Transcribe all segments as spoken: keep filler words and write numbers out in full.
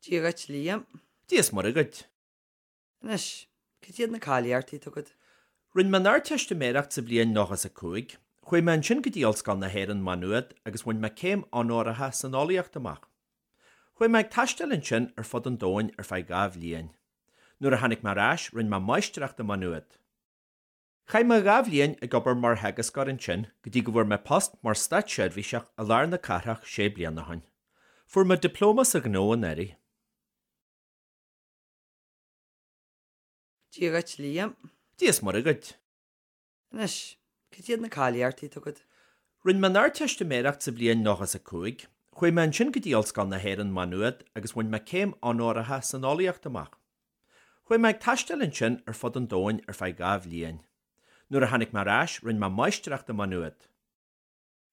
Dia dhuit Liam. Dia is Muire dhuit. Anois, cad iad na cáilíochtaí atá agat? Rinne mé an Ardteistiméireacht sa bhliain nócha is a cúig, chuaigh mé ansin go dtí Ollscoil na hÉireann Maigh Nuad agus bhain mé céim onóracha san eolaíocht amach. Chuaigh mé ag taisteal ansin ar fud an domhain ar feadh dhá bhliain. Nuair a tháinig mé ar ais rinne mé máistreacht i Maigh Nuad. Chaith mé dhá bhliain ag obair mar theagascóir ansin go dtí go bhfuair mé post mar státseirbhíseach i lár na cathrach sé bliana ó shin. Fuair mé dioplóma sa ghnó anuraidh. Dia dhuit Liam. Dia is Muire dhuit. Anois, cad iad na cáilíochtaí atá agat? Rinne mé an Ardteistiméireacht sa bhliain nócha is a cúig, chuaigh mé ansin go dtí Ollscoil na hÉireann Maigh Nuad agus bhain mé céim onóracha san eolaíocht amach. Chuaigh mé ag taisteal ansin ar fud an domhain ar feadh dhá bhliain. Nuair a tháinig mé ar ais rinne mé máistreacht i Maigh Nuad.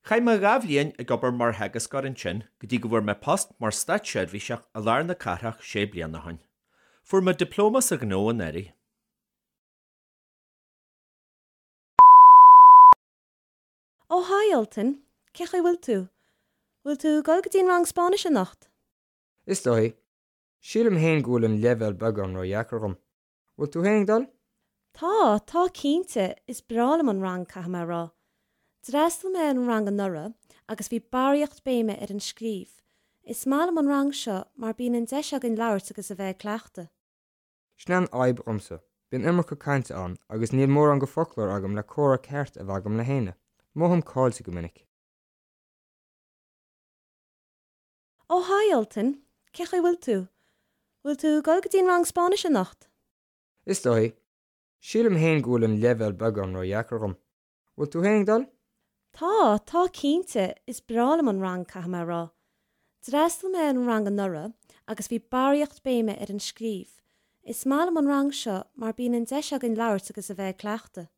Chaith mé dhá bhliain ag obair mar theagascóir ansin go dtí go bhfuair mé post mar státseirbhíseach i lár na cathrach sé bliana ó shin. Fuair mé dioplóma sa ghnó anuraidh. Ó hi Ultan, cén chaoi a bhfuil tú? Bhfuil tú ag dul go dtí an rang Spáinnis anocht? Is dóigh. Sílim féin go bhfuil an leibhéal beagán ródheacair dhom. Bhfuil tú féin ag dul? Tá, tá cinnte, is breá liom an rang caithfidh mé a rá. D'fhreastail mé ar an rang anuraidh agus bhí barraíocht béime ar an scríobh. Is maith liom an rang seo mar bíonn an deis againn labhairt agus a bheith ag cleachtadh. Sin an fhadhb dhomsa. Bíonn iomarca cainte ann agus níl mórán go foclóir agam le comhrá ceart a bheith agam le héinne. Mothaím caillte go minic. Ó hi Ultan, cén chaoi a bhfuil tú? Bhfuil tú ag dul go dtí an rang Spáinnis anocht? Is dóigh. Sílim féin go bhfuil an leibhéal beagán ródheacair dhom. Bhfuil tú féin ag dul? Tá, tá cinnte, is breá liom an rang caithfidh mé a rá. D'fhreastail mé ar an rang anuraidh agus bhí barraíocht béime ar an scríobh. Is maith liom an rang seo mar bíonn an deis againn labhairt agus a bheith ag cleachtadh.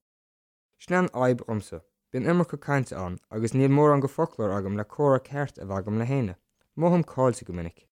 Sin an fhadhb dhomsa. Bíonn iomarca cainte ann agus níl mórán go foclóir agam le comhrá ceart a bheith agam le héinne. Mothaím caillte go minic.